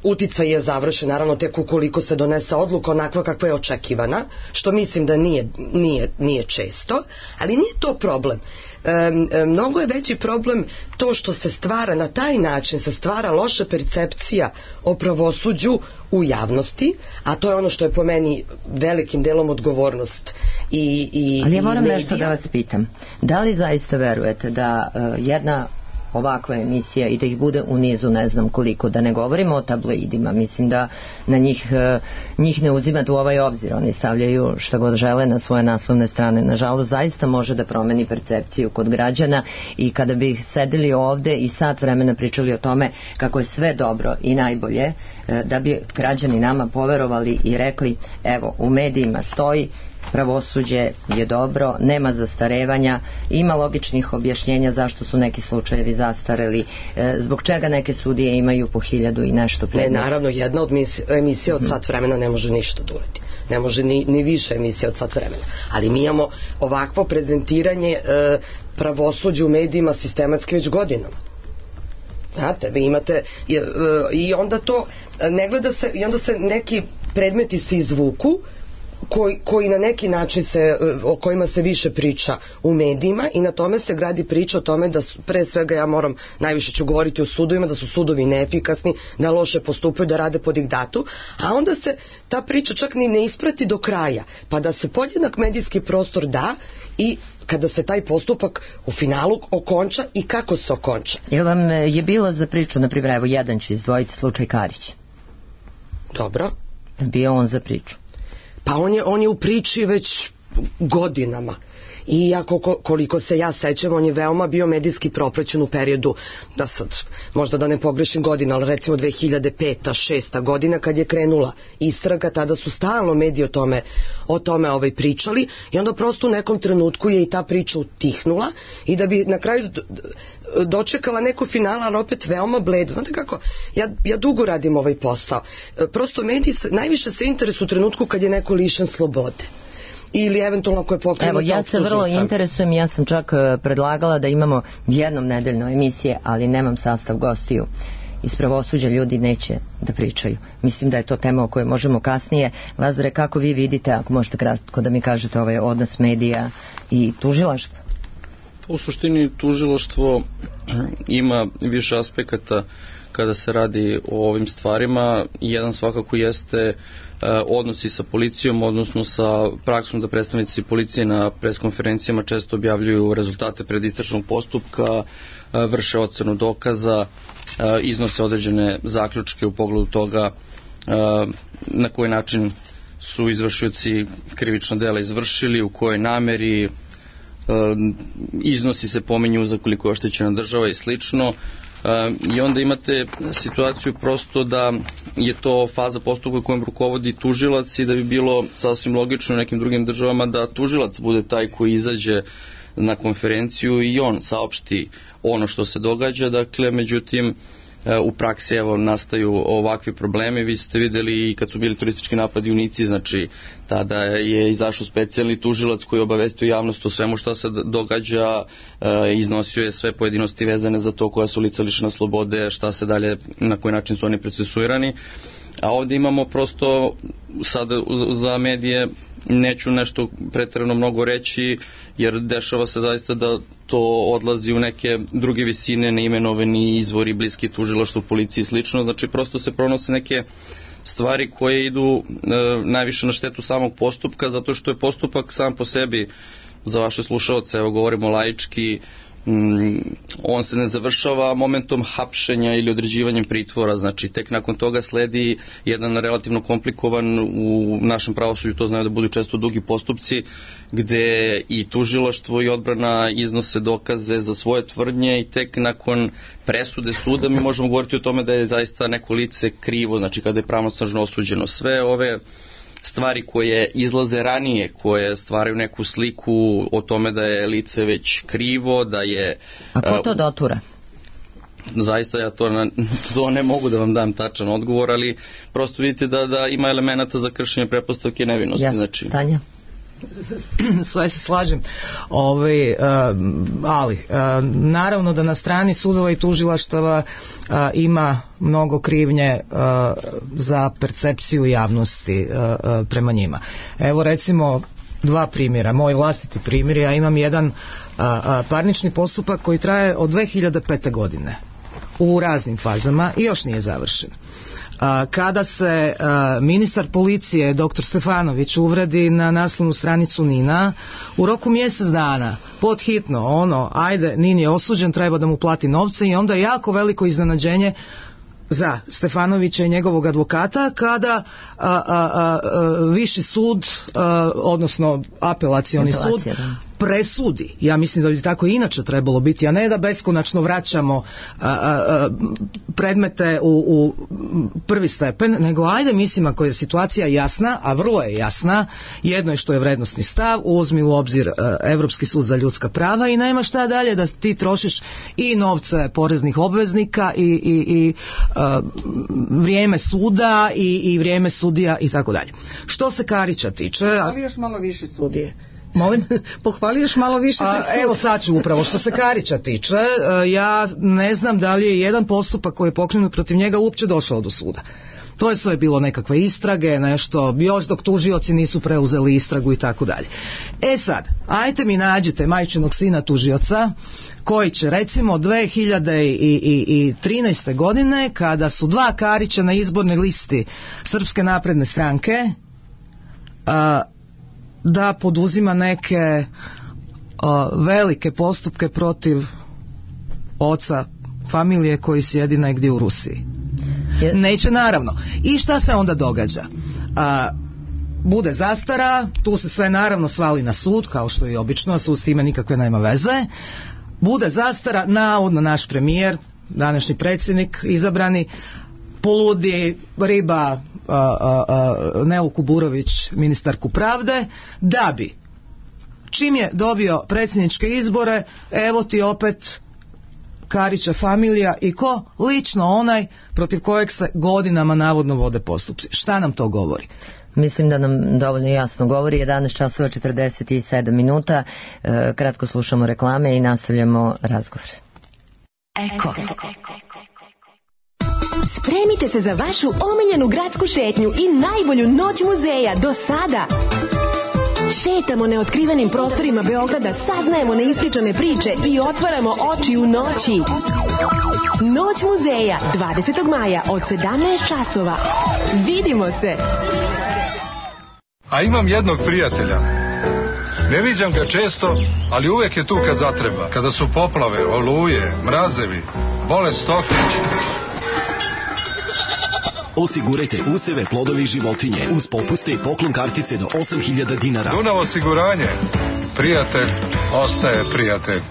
uticaj je završen naravno tek ukoliko se donese odluka onakva kakva je očekivana, što mislim da nije, nije, nije često, ali nije to problem. E, mnogo je veći problem to što se stvara na taj način, se stvara loša percepcija o pravosuđu u javnosti, a to je ono što je po meni velikim delom odgovornost i, i, ali ja moram i nešto da vas pitam, da li zaista verujete da uh, jedna ovakva emisija i da ih bude u nizu ne znam koliko, da ne govorimo o tabloidima, mislim da na njih njih ne uzimate u ovaj obzir, oni stavljaju šta god žele na svoje naslovne strane, nažalost zaista može da promeni percepciju kod građana i kada bi sedeli ovde i sat vremena pričali o tome kako je sve dobro i najbolje, da bi građani nama poverovali i rekli evo u medijima stoji pravosuđe je dobro, nema zastarevanja, ima logičnih objašnjenja zašto su neki slučajevi zastareli, e, zbog čega neke sudije imaju po hiljadu i nešto predmeta. Ne, naravno, jedna od emisija od sat vremena ne može ništa da uradi. Ne može ni, ni više emisija od sat vremena. Ali mi imamo ovakvo prezentiranje e, pravosuđa u medijima sistematski već godinama. Znate, vi imate i, e, i onda to ne gleda se, i onda se neki predmeti se izvuku Koji, koji na neki način se, o kojima se više priča u medijima i na tome se gradi priča o tome da su, pre svega ja moram, najviše ću govoriti o sudovima, da su sudovi neefikasni, da loše postupaju, da rade po diktatu, a onda se ta priča čak ni ne isprati do kraja, pa da se podjednak medijski prostor da i kada se taj postupak u finalu okonča i kako se okonča. Jel vam je bilo za priču, na primjer, evo jedan ću izdvojiti slučaj Karić? Dobro. Bio on za priču? Pa on je, on je u priči već godinama i ako, koliko se ja sećam, on je veoma bio medijski propraćen u periodu, da sad možda da ne pogrešim godina, ali recimo dve hiljade peta šesta godina kad je krenula istraga, tada su stalno mediji o tome, o tome ovaj pričali i onda prosto u nekom trenutku je i ta priča utihnula i da bi na kraju dočekala neko finala, ali opet veoma bledo. Znate kako, ja, ja dugo radim ovaj posao, prosto mediji se, najviše se interesuju u trenutku kad je neko lišen slobode ili eventualno ako je pokrenuta optužnica. Evo, ja se vrlo interesujem, ja sam čak predlagala da imamo jednom nedeljno emisije, ali nemam sastav gostiju. Iz pravosuđa ljudi neće da pričaju. Mislim da je to tema o kojoj možemo kasnije. Lazare, kako vi vidite, ako možete kratko da mi kažete ovaj odnos medija i tužilaštva? U suštini tužilaštvo ima više aspekata kada se radi o ovim stvarima. Jedan svakako jeste odnosi sa policijom, odnosno sa praksom da predstavnici policije na preskonferencijama često objavljuju rezultate predistražnog postupka, vrše ocenu dokaza, iznose određene zaključke u pogledu toga na koji način su izvršioci krivična dela izvršili, u kojoj nameri, iznosi se pominju za koliko je oštećena država i slično. I onda imate situaciju prosto da je to faza postupka kojom rukovodi tužilac i da bi bilo sasvim logično u nekim drugim državama da tužilac bude taj koji izađe na konferenciju i on saopšti ono što se događa. Dakle, međutim, u praksi evo nastaju ovakvi problemi. Vi ste videli i kad su bili turistički napadi u Nici, znači tada je izašao specijalni tužilac koji obavestio javnost o svemu što se događa, iznosio je sve pojedinosti vezane za to koja su lica lišena slobode, šta se dalje, na koji način su oni procesuirani. A ovdje imamo prosto sad za medije neću nešto pretjerano mnogo reći, jer dešava se zaista da to odlazi u neke druge visine, neimenovani izvori, bliski tužilaštvu, policiji i slično. Znači prosto se pronose neke stvari koje idu e, najviše na štetu samog postupka, zato što je postupak sam po sebi, za vaše slušalce, evo govorimo laički, Mm, on se ne završava momentom hapšenja ili određivanjem pritvora, znači tek nakon toga sledi jedan relativno komplikovan, u našem pravosuđu to znaju da budu često dugi postupci, gde i tužilaštvo i odbrana iznose dokaze za svoje tvrdnje i tek nakon presude suda mi možemo govoriti o tome da je zaista neko lice krivo, znači kada je pravnosnažno osuđeno. Sve ove stvari koje izlaze ranije, koje stvaraju neku sliku o tome da je lice već krivo, da je... A ko to dotura? Zaista ja to, na, to ne mogu da vam dam tačan odgovor, ali prosto vidite da, da ima elemenata za kršenje pretpostavke nevinosti. Jasno, znači... Tanja? Sve se slažem. Ove, uh, ali uh, naravno da na strani sudova i tužilaštava uh, ima mnogo krivnje uh, za percepciju javnosti uh, uh, prema njima. Evo recimo dva primjera, moj vlastiti primjer. Ja imam jedan uh, uh, parnični postupak koji traje od dve hiljade pete. godine u raznim fazama i još nije završen. Kada se ministar policije doktor Stefanović uvredi na naslovnu stranicu Nina, u roku mjesec dana podhitno ono, ajde, Nin je osuđen, treba da mu plati novce, i onda je jako veliko iznenađenje za Stefanovića i njegovog advokata kada a, a, a, a, viši sud, a, odnosno apelacioni sud presudi. Ja mislim da bi tako inače trebalo biti, a ne da beskonačno vraćamo a, a, a, predmete u, u prvi stepen, nego ajde, mislim, ako je situacija jasna, a vrlo je jasna, jedno je što je vrednosni stav, uzmi u obzir a, Evropski sud za ljudska prava i nema šta dalje da ti trošiš i novce poreznih obveznika i, i, i a, vrijeme suda i, i vrijeme sudija i tako dalje. Što se Karića tiče... Ali još malo više sudije. Molim? Pohvali još malo više. A, evo sad ću upravo, što se Karića tiče, ja ne znam da li je jedan postupak koji je pokrenut protiv njega uopće došao do suda. To je sve bilo nekakve istrage, nešto, još dok tužioci nisu preuzeli istragu i tako dalje. E sad, ajte mi nađite majčinog sina tužioca koji će recimo dve hiljade trinaeste. godine, kada su dva Karića na izbornoj listi Srpske napredne stranke, a, da poduzima neke a, velike postupke protiv oca familije koji sjedi negdje u Rusiji. Neće, naravno. I šta se onda događa? A, bude zastara, tu se sve naravno svali na sud, kao što je obično, a sud s time nikakve nema veze. Bude zastara, navodno naš premijer, današnji predsjednik izabrani, poludi riba a, a, a, Nelu Kuburović, ministarku pravde, da bi čim je dobio predsjedničke izbore, evo ti opet Karića familija i ko? Lično onaj protiv kojeg se godinama navodno vode postupci. Šta nam to govori? Mislim da nam dovoljno jasno govori. Jedanaest časova četrdeset sedam minuta. E, kratko slušamo reklame i nastavljamo razgovor. Eko. Spremite se za vašu omiljenu gradsku šetnju i najbolju noć muzeja do sada. Šetamo neotkrivenim prostorima Beograda, saznajemo neispričane priče i otvaramo oči u noći. Noć muzeja, dvadesetog maja od sedamnaest časova. Vidimo se! A imam jednog prijatelja. Ne viđam ga često, ali uvek je tu kad zatreba. Kada su poplave, oluje, mrazevi, bolest stoke. Osigurajte useve, plodovi i životinje uz popuste i poklon kartice do osam hiljada dinara. Dunav osiguranje. Prijatelj ostaje prijatelj.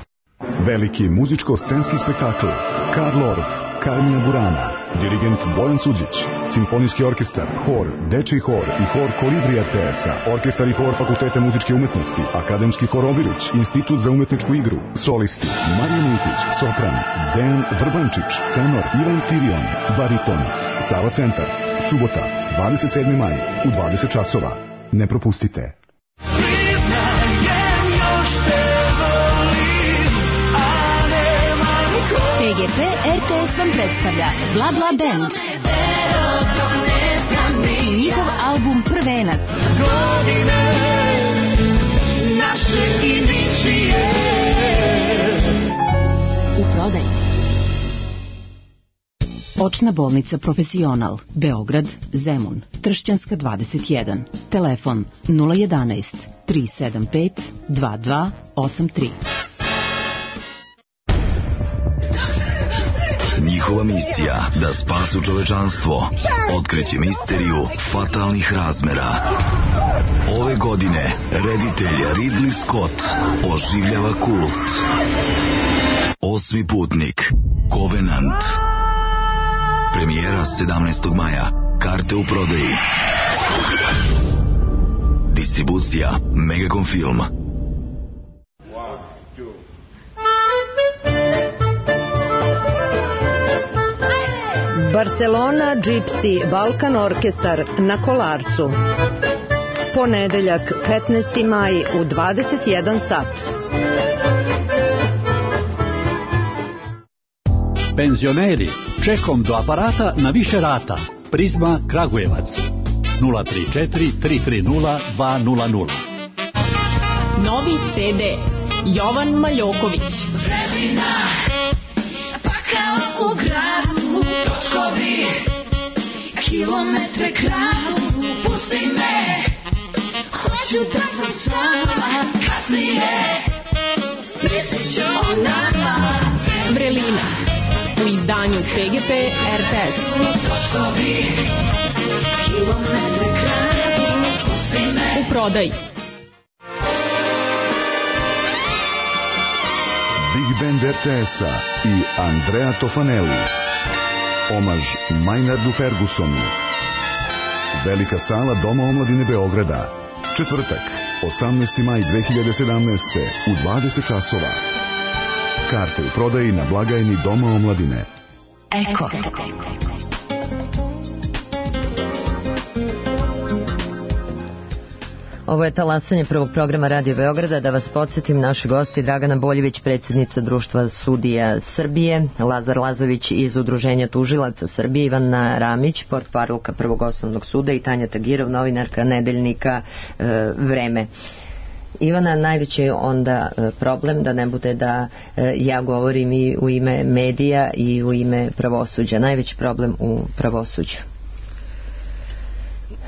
Veliki muzičko-scenski spektakl Karl Orff, Carmina Burana, dirigent Bojan Suđić, simfonijski orkestar, hor, dečiji hor i hor Kolibri R T S-a, orkestar i hor Fakulteta muzičke umetnosti, akademski hor Obilić, institut za umetničku igru, solisti Marija Mintić, sopran, Dejan Vrbančić, tenor Ivan Tirion, bariton, Sava centar, subota, dvadeset sedmi maj u dvadeset časova. Ne propustite. P G P R T S vam predstavlja Bla Bla Band i njihov album Prvenac. U prodaju. Očna bolnica Profesional, Beograd, Zemun, Tršćanska dvadeset jedan. Telefon nula jedanaest tri sedam pet dva dva osam tri. Njihova misija da spasu čovečanstvo, otkriće misteriju fatalnih razmera. Ove godine reditelj Ridley Scott oživljava kult. Osmi putnik, Covenant. Premijera sedamnaestog maja. Karte u prodaji. Distribucija Megacom Film. Barcelona Gypsy Balkan Orkestar na Kolarcu. Ponedeljak petnaesti maj u dvadeset jedan sat. Penzioneri, čekom do aparata na više rata. Prizma Kragujevac. nula tri četiri tri tri nula dva nula nula. Novi ce de Jovan Maljoković. Vremena, pa kao u gradu, točkovi, kilometre kradu, pusti me, hoću da sam s vama, kasnije, mislit ću o nama. Vrelina, u izdanju pe ge pe er te es. Točkovi, kilometre kradu, pusti me. U prodaji. Big Band er te es-a i Andrea Tofanelli. Omaž Maynardu Fergusonu. Velika sala Doma omladine Beograda. Četvrtak, osamnaesti maj dve hiljade sedamnaeste u dvadeset časova. Karte u prodaji na blagajni Doma omladine. Eko. Ovo je talasanje prvog programa Radio Beograda. Da vas podsjetim, naši gosti Dragana Boljević, predsjednica Društva sudija Srbije, Lazar Lazović iz Udruženja tužilaca Srbije, Ivana Ramić, portparolka Prvog osnovnog suda i Tanja Tagirov, novinarka nedeljnika e, Vreme. Ivana, najveći je onda problem da ne bude da e, ja govorim i u ime medija i u ime pravosuđa. Najveći problem u pravosuđu.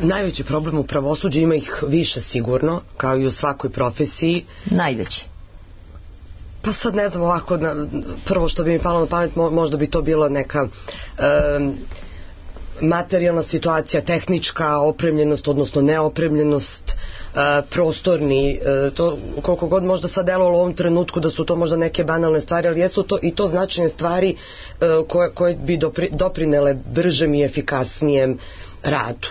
Najveći problem u pravosuđu, ima ih više sigurno, kao i u svakoj profesiji. Najveći? Pa sad ne znam ovako, na, prvo što bi mi palo na pamet, možda bi to bilo neka um, materijalna situacija, tehnička opremljenost, odnosno neopremljenost, uh, prostorni, uh, to koliko god možda sad delovalo u ovom trenutku da su to možda neke banalne stvari, ali jesu to i to značajne stvari uh, koje, koje bi dopri, doprinele bržem i efikasnijem radu.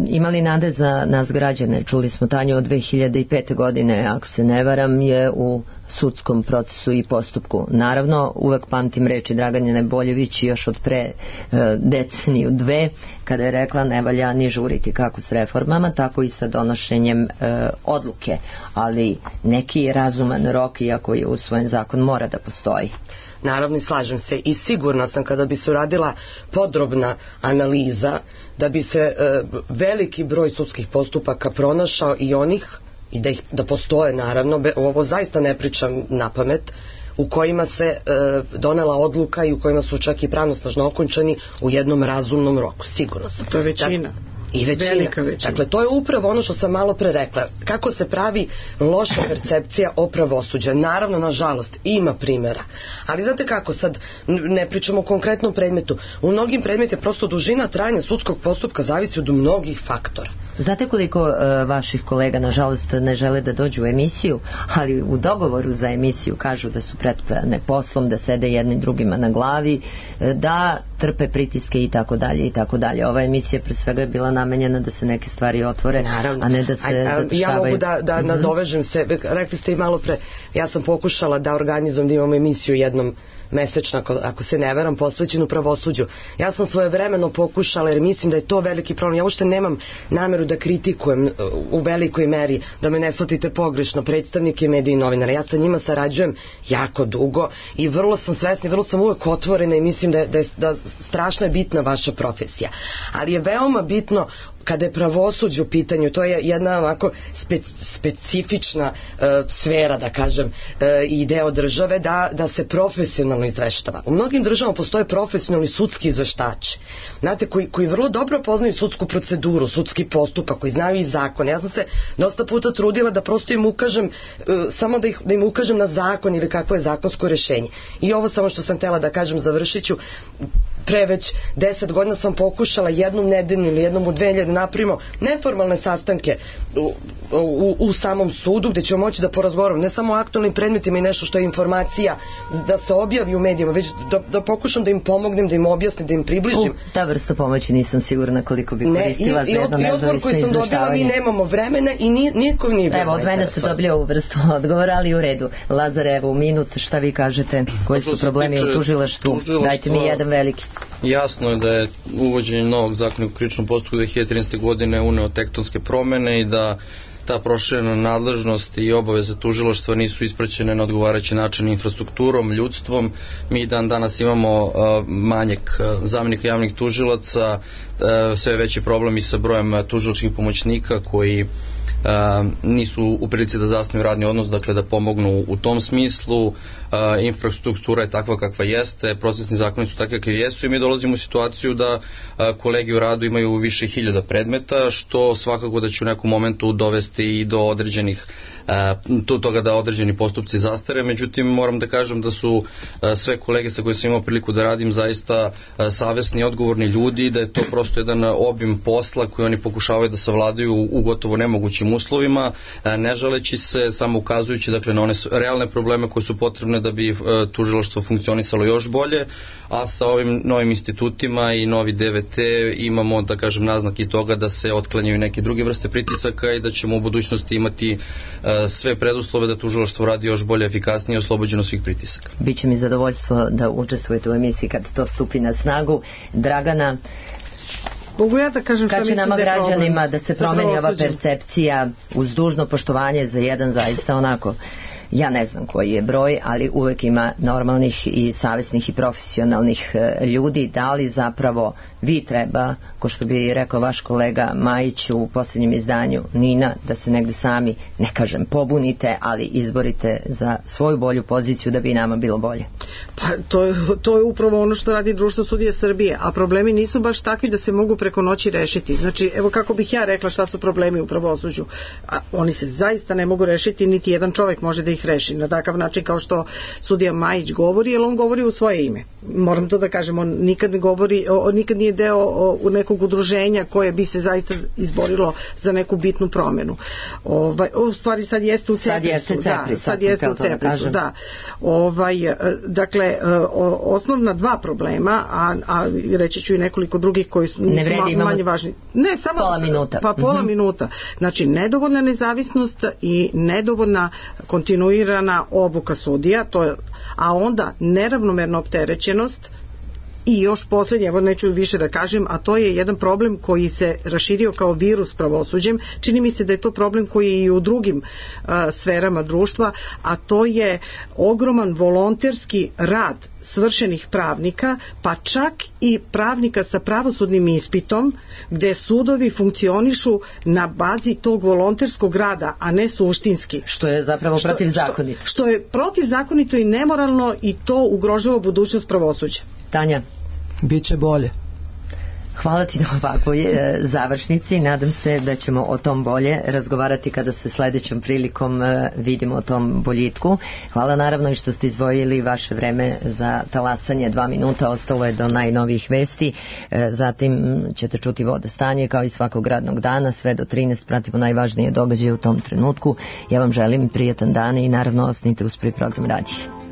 Imali nade za nas građane? Čuli smo, Tanju, od dve hiljade pete godine, ako se ne varam, je u sudskom procesu i postupku. Naravno, uvek pamtim reči Dragane Boljević još od pre e, deceniju dve, kada je rekla ne valja ni žuriti kako s reformama, tako i sa donošenjem e, odluke. Ali neki razuman rok, iako je usvojen zakon, mora da postoji. Naravno, i slažem se i sigurna sam kada bi se uradila podrobna analiza da bi se e, veliki broj sudskih postupaka pronašao i onih, i da, ih, da postoje naravno, be, ovo zaista ne pričam na pamet, u kojima se e, donela odluka i u kojima su čak i pravnosnažno okončani u jednom razumnom roku, sigurno sam. To je većina. Da, i većina. Velika većina. Dakle, to je upravo ono što sam malo pre rekla. Kako se pravi loša percepcija o pravosuđu. Naravno, nažalost, ima primjera. Ali znate kako, sad ne pričamo o konkretnom predmetu. U mnogim predmetima prosto dužina trajanja sudskog postupka zavisi od mnogih faktora. Znate koliko uh, vaših kolega, nažalost, ne žele da dođu u emisiju, ali u dogovoru za emisiju kažu da su pretpravne poslom, da sede jednim drugima na glavi, da trpe pritiske i tako dalje i tako dalje. Ova emisija pre svega je bila namenjena da se neke stvari otvore, naravno, a ne da se zataškavaju. Ja mogu da, da mm-hmm. nadovežem se, rekli ste i malo pre, ja sam pokušala da organizujem da imamo emisiju jednom mesečno, ako, ako se ne veram, posvećenu pravosuđu. Ja sam svojevremeno pokušala, jer mislim da je to veliki problem. Ja uopšte nemam nameru da kritikujem u velikoj meri, da me ne shvatite pogrešno, predstavnike medija i novinara. Ja sa njima sarađujem jako dugo i vrlo sam svesna, vrlo sam uvek otvorena i mislim da je, da je da strašno je bitna vaša profesija. Ali je veoma bitno kada je pravosuđe u pitanju, to je jedna ovako spe, specifična uh, sfera, da kažem, uh, i deo države, da, da se profesionalno izveštava. U mnogim državama postoje profesionalni sudski izveštači, znate, koji, koji vrlo dobro poznaju sudsku proceduru, sudski postupak, koji znaju i zakon. Ja sam se dosta puta trudila da prosto im ukažem, uh, samo da, ih, da im ukažem na zakon ili kakvo je zakonsko rešenje. I ovo samo što sam htela da kažem, završit ću, pre već deset godina sam pokušala jednom nedeljnu ili jednom u dve nedelje da napravimo neformalne sastanke u, u, u samom sudu gde ćemo moći da porazgovaramo ne samo o aktualnim predmetima i nešto što je informacija da se objavi u medijima, već da, da pokušam da im pomognem, da im objasnim, da im približim. U, ta vrsta pomoći nisam sigurna koliko bi koristila ne, i, za jedno nezavisno izveštavanje. I odgovor koji sam dobila, mi nemamo vremena i ni, niko nije bilo. Evo, od mene se dobili ovu vrstu odgovora, ali u redu. Lazar, evo, u minut, šta vi kažete? Koji su problemi u tužilaštvu? Dajte mi jedan veliki. Jasno je da je uvođenje novog zakona u krivičnom postupku dve hiljade trinaeste. godine uneo tektonske promene i da ta proširena nadležnost i obaveze tužilaštva nisu ispraćene na odgovarajući način infrastrukturom, ljudstvom. Mi dan danas imamo uh, manjak uh, zamenika javnih tužilaca, uh, sve veći problemi sa brojem uh, tužilačkih pomoćnika koji Uh, nisu u prilici da zasnuju radni odnos, dakle da pomognu u tom smislu. Uh, infrastruktura je takva kakva jeste, procesni zakoni su takvi kakvi jesu i mi dolazimo u situaciju da uh, kolegi u radu imaju više hiljada predmeta, što svakako da će u nekom momentu dovesti i do određenih uh, toga da određeni postupci zastare. Međutim, moram da kažem da su uh, sve kolege sa koje sam imao priliku da radim zaista uh, savesni i odgovorni ljudi, da je to prosto jedan obim posla koji oni pokušavaju da savladaju u gotovo nemogućim uslovima, ne žaleći se, samo ukazujući dakle na one realne probleme koje su potrebne da bi tužilaštvo funkcionisalo još bolje, a sa ovim novim institutima i novi D V T imamo, da kažem, naznaki toga da se otklanjaju neke druge vrste pritisaka i da ćemo u budućnosti imati sve preduslove da tužilaštvo radi još bolje, efikasnije i oslobođeno svih pritisaka. Biće mi zadovoljstvo da učestvujete u emisiji kad to stupi na snagu. Dragana, mogu ja da kažem kad će nama građanima da se promeni ova percepcija uz dužno poštovanje za jedan zaista onako, ja ne znam koji je broj, ali uvek ima normalnih i savesnih i profesionalnih ljudi, da li zapravo vi treba, ko što bi rekao vaš kolega Majić u posljednjem izdanju Nina, da se negde sami, ne kažem pobunite, ali izborite za svoju bolju poziciju da bi nama bilo bolje. Pa to je, to je upravo ono što radi Društvo sudija Srbije, a problemi nisu baš takvi da se mogu preko noći rešiti. Znači, evo kako bih ja rekla šta su problemi u pravosuđu. A oni se zaista ne mogu rešiti, niti jedan čovjek može da ih reši na takav način kao što sudija Majić govori, jer on govori u svoje ime. Moram to da kažem, on nikad ne govori, on nikad nije deo o, nekog udruženja koje bi se zaista izborilo za neku bitnu promenu. Ovaj, u stvari sad jeste u Ceprisu. Da, sad jeste u Ceprisu, da. Ovaj, dakle, osnovna dva problema, a, a reći ću i nekoliko drugih koji su ne vredi, ma, manje važni. Ne, samo pola minuta. Pa pola mm-hmm. minuta. Znači, nedovoljna nezavisnost i nedovoljna kontinuirana obuka sudija, to je, a onda neravnomerna opterećenost. I još posljednje, evo neću više da kažem, a to je jedan problem koji se raširio kao virus pravosuđem. Čini mi se da je to problem koji je i u drugim uh, sferama društva, a to je ogroman volonterski rad svršenih pravnika, pa čak i pravnika sa pravosudnim ispitom, gde sudovi funkcionišu na bazi tog volonterskog rada, a ne suštinski. Što je zapravo protivzakonito. Što, što je protivzakonito i nemoralno i to ugrožava budućnost pravosuđa. Tanja? Biće bolje. Hvala ti na ovakvoj e, završnici. Nadam se da ćemo o tom bolje razgovarati kada se sledećom prilikom e, vidimo o tom boljitku. Hvala naravno i što ste izdvojili vaše vreme za talasanje. Dva minuta ostalo je do najnovijih vesti. E, zatim ćete čuti vodostanje kao i svakog radnog dana. Sve do trinaest pratimo najvažnije događaje u tom trenutku. Ja vam želim prijatan dan i naravno ostanite uz prvi program radija.